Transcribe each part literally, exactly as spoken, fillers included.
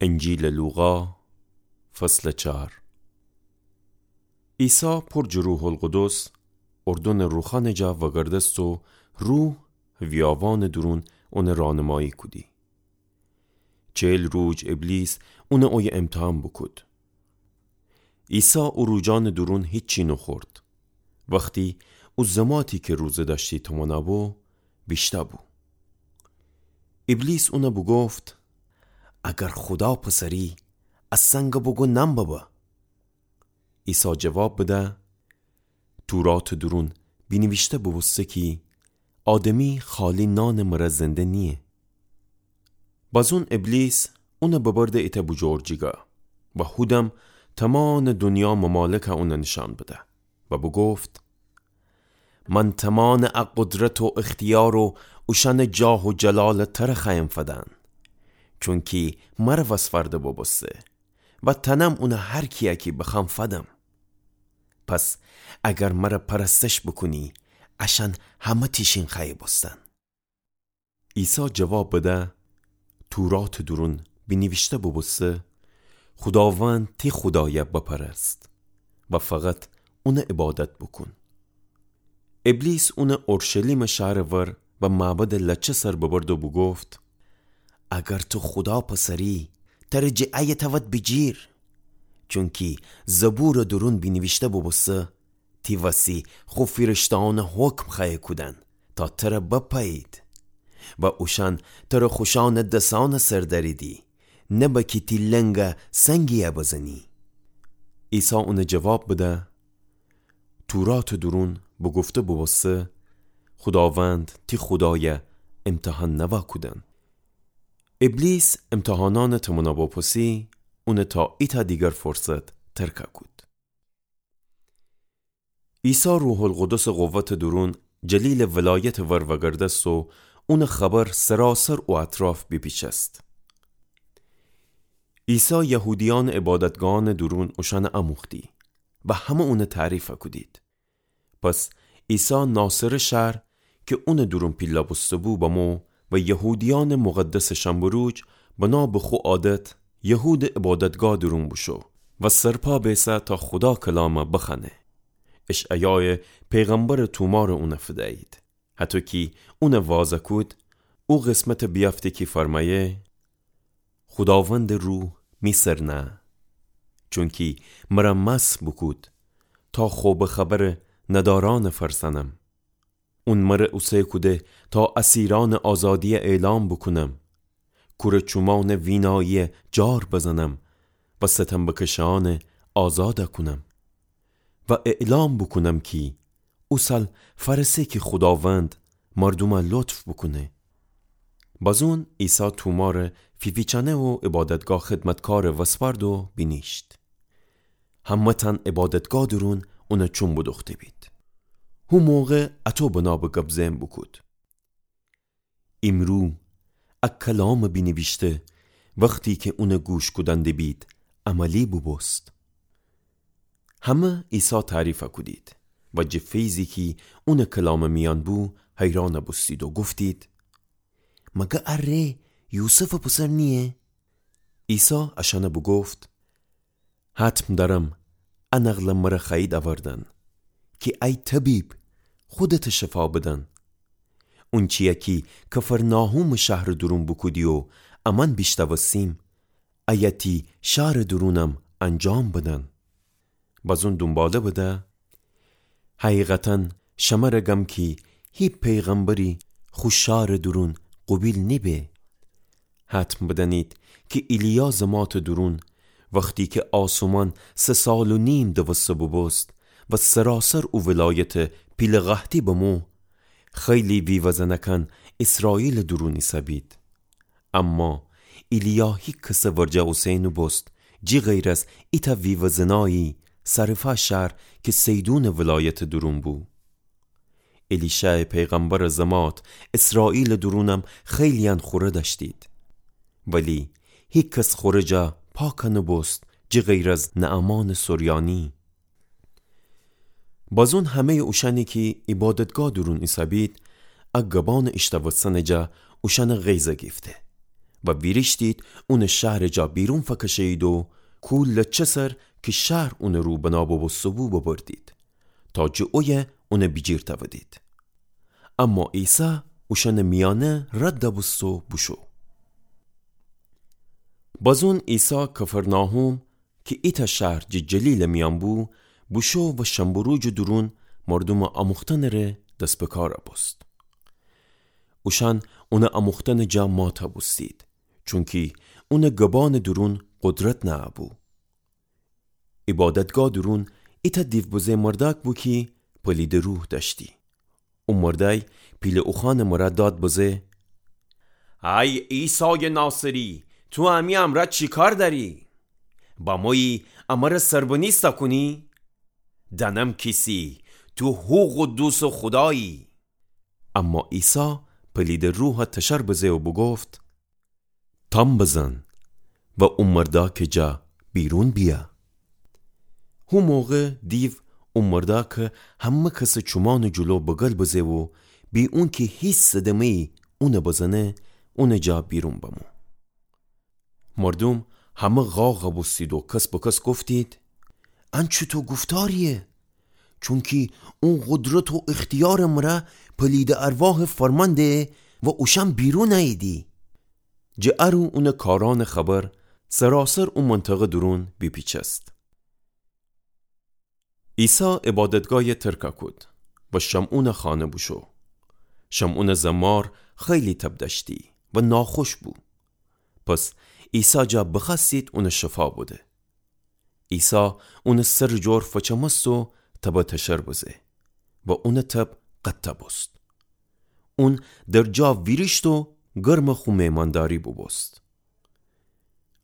انجیلٚ لوقا، فصلٚ چار. عیسی پر جٚ روح‌القدس اردنٚ روخانٚ جا وأگردست و روح ویاوانٚ دورون اونَ رانمایی کودی. چل روج ابلیس اونَ اویه امتحان بوکود. عیسی او روجانٚ دورون هیچی نوخورد. وختی او زماتی کی روزه دأشتی تومانا بو، ویشتأ بو. ابلیس اونَ بوگفت: اگر خودا پسری، ا سنگَ بوگو نان ببه. عیسی جواب بده: توراتٚ دورون بینیویشته بوبوسته کی آدمی خالی نانٚ مره زنده نییه. بازون ابلیس اونَ ببرده ایتأ بوجور جیگا و هودم تومانٚ دونیا ممالکَ اونَ نیشأن بده و بوگفت: من تومانٚ ا قدرت و اختیار و اوشأنٚ جاه و جلالَ تره خوأیم فدن، چونکی مره وسفرده بوبوسته و تنم اونَ هر کیَ کی بخوأم فدم. پس اگر مره پرستش بوکونی، اشأن همه تیشین خوأیی بوستن. عیسی جواب بده: توراتٚ دورون بینیویشته بوبوسته: خوداوند تی خودایَ بپرست و فقط اونَ عبادت بوکون. ابلیس اونَ اورشلیمٚ شهرٚ ور و معبدٚ لچه سر ببرد و بوگفت: اگر تو خودا پسری، تره جٚه ایه تأود بیجیر. چونکی زبورٚ دورون بینیویشته بوبوسته: تی وسی خو فیرشته‌یأنَ حکم خوأیه کودن تا تره بپایید و اوشأن تره خوشأنٚ دسأنٚ سر دأریدی، نبه کی تی لنگَ سنگی‌یَ بزنی. عیسی اونَ جواب بده: توراتٚ دورون بوگفته بوبوسته: خوداوند تی خودایَ امتحان نوا کودن. ابلیس امتحانأنٚ تومانا بوپوسی، اونَ تا ایتأ دیگر فرصت ترکَ کود. عیسی روح‌القدسٚ قوتٚ دورون جلیلٚ ولایتٚ ور وأگردست و اونٚ خبر سراسر او اطراف بیپیچست. عیسی یهودیأنٚ عبادتگاهأنٚ دورون اوشأنَ اموختی و همه اونَ تعریفَ کودید. پس عیسی ناصره شهر کی اونٚ دورون پیله بوسته‌بو بمو و یهودیأنٚ مقدسٚ شنبه روج بنا به خو عادت یهودٚ عبادتگاه دورون بوشو و سرپا بیسه تا خودا کلامَ بخوأنه. اشعیایٚ پیغمبرٚ تومارَ اونَ فدیید. هطو کی اونَ وازَ کود، او قسمتَ بیأفته کی فرمأیه: خوداوندٚ روح می سر نه، چونکی مره مسح بوکود تا خوبٚ خبرَ ندارأنَ فرسأنم. اون مره اوسه کوده تا اسیرأنٚ آزادیَ اعلام بوکونم، کورٚ چومأنٚ ویناییَ جار بزنم و ستم بکشه‌یأنَ آزادَ کونم و اعلام بوکونم کی او سال فأرسه کی خوداوند مردومَ لطف بوکونه. بازون عیسی تومارَ فیفیچأنه و عبادتگاه خدمتکارَ وسپأرد و بینیشت. همه‌تأن عبادتگاه دورون اونَ چوم بودوخته بید. هو موقع اطو بنا به گب زئن بوکود: ایمرو ا کلامٚ بینیویشته وختی کی اونَ گوش کودن دیبید عملی بوبوست. همه عیسی تعریفَ کودید و جٚه فیضی کی اونٚ کلامٚ میأن بو حیرانَ بوستید و گفتید: مگر ا ره یوسفٚ پسر نییه؟ عیسی اشأنَ بوگفت: حتم دأرم ا نقلَ مره خوأیید اوردن کی ای طبیب، خودتَ شفا بدن. اونچیَ کی کفرناحومٚ شهرٚ دورون بوکودی و امأن بیشنوستیم، ایه تی شارٚ دورونم انجام بدن. بازون دونباله بده: حقیقتاً شمره گم کی هی پیغمبری خو شارٚ دورون قوبیل نیبه. حتم بدأنید کی ایلیا زماتٚ دورون، وختی کی آسمان سه سال و نیم دوسته بوبوست و سراسر او ولایت پیله قحطی بمو، خیلی ویوه‌زنکان اسرائیلٚ دورون ایسه‌بید. اما ایلیا هیکسٚ ورجه اوسه نوبوست، جی غیر از ایتأ ویوه‌زنایی سرفا شهر کی سیدونٚ ولایتٚ دورون بو. الیشعٚ پیغمبرٚ زمات اسرائیلٚ دورونم خیلیأن خوره دأشتید، ولی هیکس خوره جا پاکَ نوبوست، جی غیر از نعمانٚ سریانی. بازون همه‌یٚ اوشأنی کی عبادتگاه دورون ایسه‌بید، ا گبانٚ ایشنوستنٚ جا اوشأنٚ غیظَ گیفته و ویریشتید اونٚ شهرٚ جا بیرون فکشه‌یید و کولٚ چسر کی شهر اونٚ رو بنا بوبوسته‌بو ببردید، تا جٚه اویه اون بیجیر تأودید. اما عیسی اوشأنٚ میأنه رد بوست و بوشو. بزون عیسی کفرناحوم کی ایتأ شهر جٚه جلیلٚ میأن بو، بوشو و شنبه روجٚ دورون مردومٚ آموختنٚ ره دس به کار بوست. اوشأن اونٚ آموختنٚ جا مات بوستید، چونکی اونٚ گبانٚ دورون قدرت نأبو. عبادتگاه دورون ایتأ دیو بزه مردأک بو کی پلیدٚ روح دأشتی. او مردأی پیله اوخوأنٚ مرأ داد بزه: ای عیسایٚ ناصری، تو امی امرأ چی کار دأری؟ بمویی امره سربنیست کونی؟ دأنم کیسی، تو هو قدوسٚ خودایی. اما عیسی پلیدٚ روح تشر بزه و بوگفت: تام بزن و او مردأکٚ جا بیرون بیأ. هو موقع دیو او مردأکٚ همه کسٚ چومأنٚ جلو بگل بزه و بی اونکی هیچ صدمه‌یی اون بزنه، اونٚ جا بیرون بمو. مردوم همه قاق بوستید و کس به کس گفتید: ان چوطو گفتارییه؟ چونکی اون قدرت و اختیارٚ مرأ پلیدٚ ارواح فرمان دهه و اوشأن بیرون اییدی. جٚه ا رو اونٚ کارأنٚ خبر سراسر او منطقه دورون بیپیچست. عیسی عبادتگاهی ترک کود و شمعونٚ خانه بوشو. شمعونٚ زمار خیلی تب دأشتی و ناخوش بو. پس عیسی جا بخوأستید اون شفا بده. عیسی اونٚ سرٚ جور فچمست و تب تشر بزه و اونٚ تب قطع بوست. اون در جا ویریشت و گرمٚ خو مهمانداری بوبوست.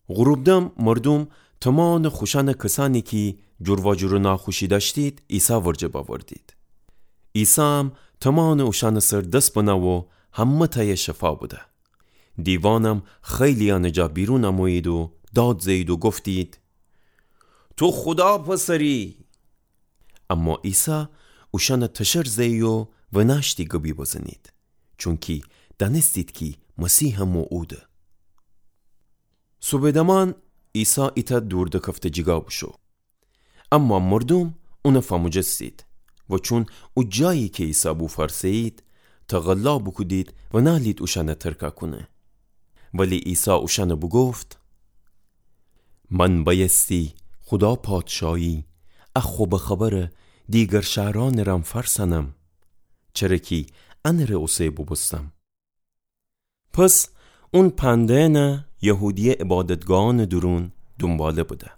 غروب دم مردوم تومانٚ خوشأنٚ کسأنی کی جورواجور و ناخوشی دأشتید، عیسی ورجه بأوردید. عیسی هم تومانٚ اوشأنٚ سر دس بنه و همه‌تأی شفا بده. دیوانم خیلییأنٚ جا بیرون امویید و داد زه‌یید و گفتید: تو خودا پسری! اما عیسی اوشأن تشر زه‌یی و ونأشتی گبی بزنید، چونکی دأنستید کی مسیح مو اوده. صوبٚ دمان عیسی ایتأ دور دکفته جیگا بوشو. اما مردوم اون فموجستید و چون او جایی کی عیسی بو فأرسه‌یید، تقلا بوکودید و نألید اوشأن ترک کونه. ولی عیسی اوشأن بوگفت: من بأیستی خودا پادشاهی ا خوبٚ خبر دیگر شهرأنٚ رم فأرسأنم، چره کی انٚ ره اوسه بوبوستم. پس اون پنده‌یأن یهودیه عبادتگاهأنٚ دورون دونباله بده.